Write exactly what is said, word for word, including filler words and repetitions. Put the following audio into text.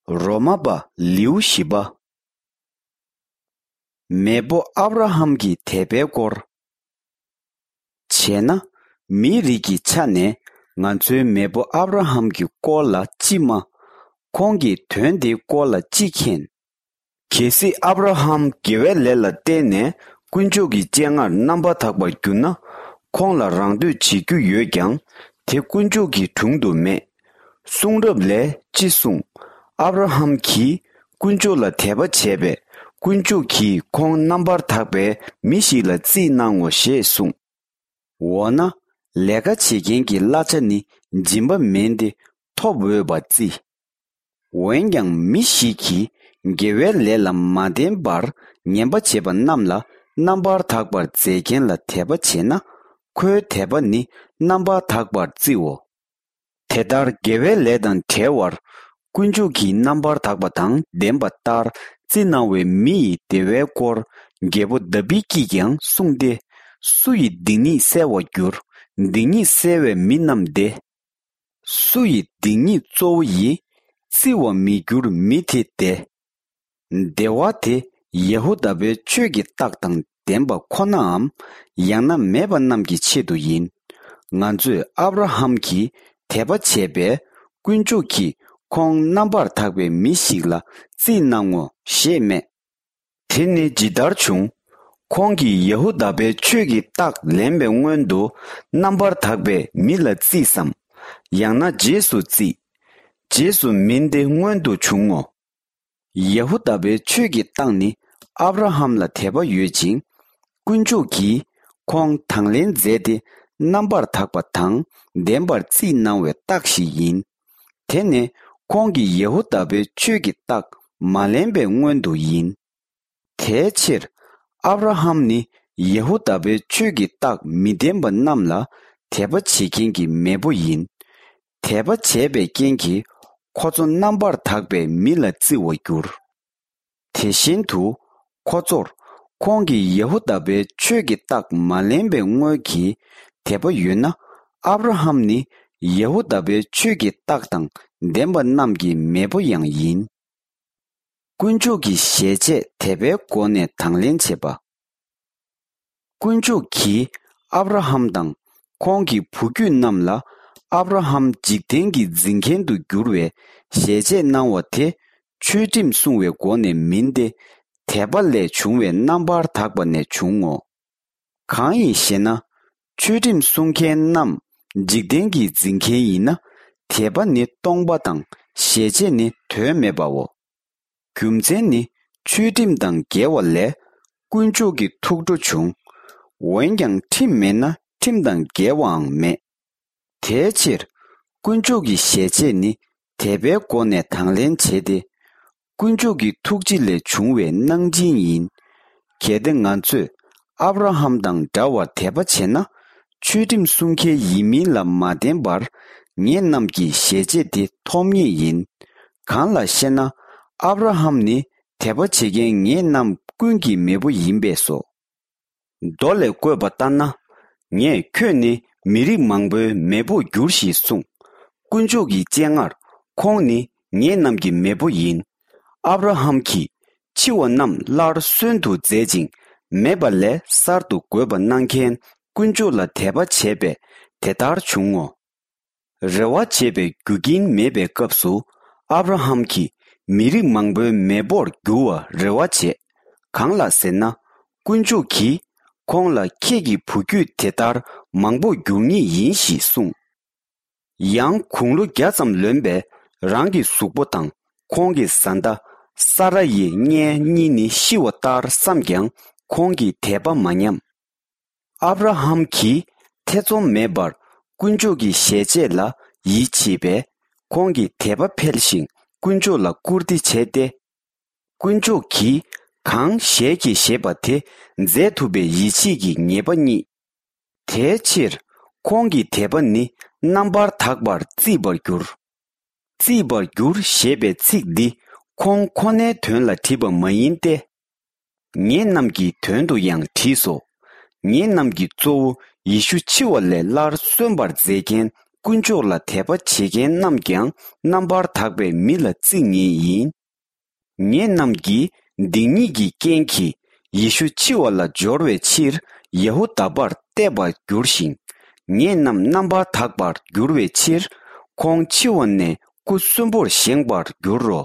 རོ་མ་པ་ལེའུ་བཞི་པ། མེས་པོ་ཨབ་ར་ཧམ་གྱི་དད་པའི་སྐོར། བྱས་ན། མིའི་རིགས་ཀྱི་ཆ་ནས་ང་ཚོའི་མེས་པོ་ཨབ་ར་ཧམ་གྱི་སྐོར་ལ་ཅི་སྨྲ། ཁོང་གིས་དོན་དེའི་སྐོར་ལ་ཅི་མཁྱེན། གལ་སྲིད་ཨབ་ར་ཧམ་དགེ་བའི་ལས་ལ་བརྟེན་ནས་དཀོན་མཆོག་གི་སྤྱན་སྔར་རྣམ་པར་དག་པར་གྱུར་ན། ཁོང་ལ་རང་བསྟོད་བྱེད་རྒྱུ་ཡོད་ཀྱང་། དེ་དཀོན་མཆོག་གི་དྲུང་དུ་མེད། གསུང་རབ་ལས་ཅི་གསུངས། ཨབ་ར་ཧམ་གྱིས་དཀོན་མཆོག་ལ་དད་པ་བྱས་པས། དཀོན་མཆོག་གིས་ཁོང་རྣམ་པར་དག་པའི་མི་ཞིག་ལ་རྩིས་གནང་ངོ་ཞེས་གསུངས། འོ་ན། ལས་ཀ་བྱེད་མཁན་གྱི་གླ་ཆ་ནི་སྦྱིན་པ་མིན་ཏེ་ཐོབ་འོས་པ་རྩིས། འོན་ཀྱང་མི་ཞིག་གིས་དགེ་བའི་ལས་ལ་མ་བརྟེན་པར་ངན་པ་བྱེད་པ་རྣམས་ལ་རྣམ་པར་དག་པར་མཛད་མཁན་ལ་དད་པ་བྱེད་ན། ཁོའི་དད་པ་ནི་རྣམ་པར་དག་པར་བརྩིའོ། དེ་ལྟར་དགེ་བའི་ལས་དང་བྲལ་བར་དཀོན་མཆོག་གིས་རྣམ་པར་དག་པ་དང་ལྡན་པ་ལྟར་རྩིས་གནང་བའི་མི་ཡི་བདེ་བའི་སྐོར། རྒྱལ་པོ་དཱ་བིད་ཀྱིས་ཀྱང་གསུངས་ཏེ། སུ་ཡིས་སྡིག་ཉེས་བསལ་བར་འགྱུར། སྡིག་ཉེས་བསལ་བའི་མི་རྣམས་བདེ། སུ་ཡི་སྡིག་ཉེས་གཙོ་བོ་ཡིས། བརྩི་བར་མི་འགྱུར་མི་དེ་བདེ། བདེ་བ་དེ་ཡ་ཧུ་དཱ་པའི་ཆོས་ཀྱི་རྟགས་དང་ལྡན་པ་ཁོ་ནའམ། ཡང་ན་མེད་པ་རྣམས་ཀྱི་ཆེད་དུ་ཡིན། ང་ཚོས་ཨབ་ར་ཧམ་གྱིས་དད་པ་བྱས་པས། དཀོན་མཆོག་གིས་ཁོང་རྣམ་པར་དག་པའི་མི་ཞིག་ལ་རྩིས་གནང་ངོ་ཞེས་སྨྲས། དེ་ནི་ཇི་ལྟར་བྱུང་། ཁོང་གིས་ཡ་ཧུ་དཱ་པའི་ཆོས་ཀྱི་རྟགས་ལེན་པའི་སྔོན་དུ། རྣམ་པར་དག་པའི་མི་ལ་རྩིས་སམ། ཡང་ན་རྗེས་སུ་རྩིས། རྗེས་སུ་མིན་ཏེ་སྔོན་དུ་བྱུང་ངོ་། ཡ་ཧུ་དཱ་པའི་ཆོས་ཀྱི་རྟགས་ནི་ཨབ་ར་ཧམ་ལ་དད་པ་ཡོད་ཅིང་། དཀོན་མཆོག་གིས་ཁོང་དང་ལེན་མཛད་དེ། རྣམ་པར་དག་པ་དང་ལྡན་པར་རྩིས་གནང་བའི་རྟགས་ཤིག་ཡིན། དེ་ནི་ཁོང་གིས་ཡ་ཧུ་དཱ་པའི་ཆོས་ཀྱི་རྟགས་མ་ལེན་པའི་སྔོན་དུ་ཡིན། དེའི་ཕྱིར། ཨབ་ར་ཧམ་ནི་ཡ་ཧུ་དཱ་པའི་ཆོས་ཀྱི་རྟགས་མི་ལྡན་པ་རྣམས་ལ་དད་པ་བྱེད་མཁན་གྱི་མེས་པོ་ཡིན། དད་པ་བྱས་པའི་རྐྱེན་གྱིས་ཁོ་ཚོ་རྣམ་པར་དག་པའི་མི་ལ་བརྩི་བར་འགྱུར། དེ་བཞིན་དུ། ཁོ་ཚོར་ཁོང་གིས་ཡ་ཧུ་དཱ་པའི་ཆོས་ཀྱི་རྟགས་མ་ལེན་པའི་སྔོན་གྱི་དད་པ་ཡོད་ན། ཨབ་ར་ཧམ་ནི་ཡ་ཧུ་དཱ་པའི་ཆོས་ཀྱི་རྟགས་དང་ལྡན་པ་རྣམས་ཀྱི་མེས་པོ་ཡང་ཡིན། དཀོན་མཆོག་གི་ཞལ་ཆད་དད་པའི་སྒོ་ནས་དང་ལེན་བྱེད་པ། དཀོན་མཆོག་གིས་ཨབ་ར་ཧམ་དང་ཁོང་གི་བུ་རྒྱུད་རྣམས་ལ། ཨབ་ར་ཧམ་འཇིག་རྟེན་གྱི་འཛིན་མཁན་དུ་འགྱུར་བའི་ཞལ་ཆད་གནང་བ་དེ། ཆོས་ཁྲིམས་སྲུང་བའི་སྒོ་ནས་མིན་ཏེ། དད་པ་ལས་བྱུང་བའི་རྣམ་པར་དག་པ་ནས་བྱུང་ངོ་། གང་ཡིན་ཞེ་ན། ཆོས་ཁྲིམས་སྲུང་མཁན་རྣམས་འཇིག་རྟེན་གྱི་འཛིན་མཁན་ཡིན་ན། དད་པ་ནི་སྟོང་པ་དང་ཞལ་ཆད་ནི་དོན་མེད་པའོ། རྒྱུ་མཚན་ནི་ཆོས་ཁྲིམས་དང་འགལ་བ་ལས་དཀོན་མཆོག་གི་ཐུགས་ཁྲོ་བྱུང་། འོན་ཀྱང་ཁྲིམས་མེད་ན་ཁྲིམས་དང་འགལ་བའང་མེད། དེའི་ཕྱིར། དཀོན་མཆོག་གི་ཞལ་ཆད་ནི་དད་པའི་སྒོ་ནས་དང་ལེན་བྱེད་དེ། དཀོན་མཆོག་གི་ཐུགས་རྗེ་ལས་བྱུང་བའི་གནང་སྦྱིན་ཡིན། གལ་ཏེ་ང་ཚོས་ཨབ་ར་ཧམ་དང་འདྲ་བར་དད་པ་བྱས་ན། ཆོས་ཁྲིམས་སྲུང་མཁན་ཡིན་མིན་ལ་མ་བརྟེན་པར། ངེད་རྣམས་ཀྱི་ཞལ་ཆད་དེ་ཐོབ་ངེས་ཡིན། གང་ལགས་ཤེ་ན། ཨབ་ར་ཧམ་ནི་དད་པ་བྱེད་མཁན་ངེད་རྣམས་ཀུན་གྱི་མེས་པོ་ཡིན་པས་སོ། མདོ་ལས་བཀོད་པ་ལྟར་ན། ངས་ཁྱོད་ནི་མི་རིགས་མང་པོའི་མེས་པོར་འགྱུར་ཞེས་གསུངས། དཀོན་མཆོག་གི་སྤྱན་སྔར། ཁོང་ནི་ངེད་རྣམས་ཀྱི་མེས་པོ་ཡིན། ཨབ་ར་ཧམ་གྱིས་འཆི་བ་རྣམས་སླར་གསོན་དུ་མཛད་ཅིང་། མེད་པ་ལས་གསར་དུ་འགོད་པ་གནང་མཁན་དཀོན་མཆོག་ལ་དད་པ་བྱས་པས་དེ་ལྟར་བྱུང་ངོ་། རེ་བ་བྱེད་པའི་རྒྱུ་རྐྱེན་མེད་པའི་སྐབས་སུ། ཨབ་ར་ཧམ་གྱིས་མི་རིགས་མང་པོའི་མེས་པོར་འགྱུར་བར་རེ་བ་བྱས། གང་ལགས་ཟེར་ན། དཀོན་མཆོག་གིས་ཁོང་ལ་ཁྱེད་ཀྱི་བུ་རྒྱུད་དེ་ལྟར་མང་པོར་འགྱུར་ངེས་ཡིན་ཞེས་གསུངས། ཡང་དགུང་ལོ་བརྒྱ་ཙམ་ལོན་པའི་རང་གི་གཟུགས་པོ་དང་ཁོང་གི་བཟའ་ཟླ་ས་ར་ཡི་མངལ་གཉིས་ནི་ཤི་བ་ལྟར་བསམས་ཀྱང་ཁོང་གི་དད་པ་མ་ཉམས། ཨབ་ར་ཧམ་གྱིས་ཐེ་ཚོམ་མེད་པར་དཀོན་མཆོག་གི་ཞལ་ཆད་ལ་ཡིད་ཆེས་པས། ཁོང་གི་དད་པ་འཕེལ་ཞིང་དཀོན་མཆོག་ལ་བཀུར་སྟི་བྱས་ཏེ། དཀོན་མཆོག་གིས་གང་ཞལ་གྱིས་བཞེས་པ་དེ་མཛད་ཐུབ་པའི་ཡིད་ཆེས་ཀྱི་ངེས་པ་རྙེད། དེའི་ཕྱིར་ཁོང་གི་དད་པ་ནི་རྣམ་པར་དག་པར་བརྩིས་པར་གྱུར། བརྩིས་པར་གྱུར་ཞེས་པའི་ཚིག་འདི་ཁོང་ཁོ་ནའི་དོན་ལ་བྲིས་པ་མ་ཡིན་ཏེ། ངེད་རྣམས་ཀྱི་དོན་དུ་ཡང་བྲིས་སོ། ངེད་རྣམས་ཀྱི་གཙོ་བོ་ཡེ་ཤུ་འཆི་བ་ལས་སླར་གསོན་པར་མཛད་མཁན་ དཀོན་མཆོག་ལ་དད་པ་བྱེད་མཁན་རྣམས་ཀྱང་རྣམ་པར་དག་པའི་མི་ལ་བརྩི་ངེས་ཡིན། ངེད་རྣམས་ཀྱིས་སྡིག་ཉེས་ཀྱི་རྐྱེན་གྱིས་ཡེ་ཤུ་འཆི་བ་ལ་སྦྱོར་བའི་ཕྱིར་ཡ་ཧུ་དཱ་པར་གཏད་པར་འགྱུར་ཞིང་། ངེད་རྣམས་རྣམ་པར་དག་པར་འགྱུར་བའི་ཕྱིར་ཁོང་འཆི་བ་ནས་སྐུ་གསོན་པོར་བཞེངས་པར་འགྱུར་རོ།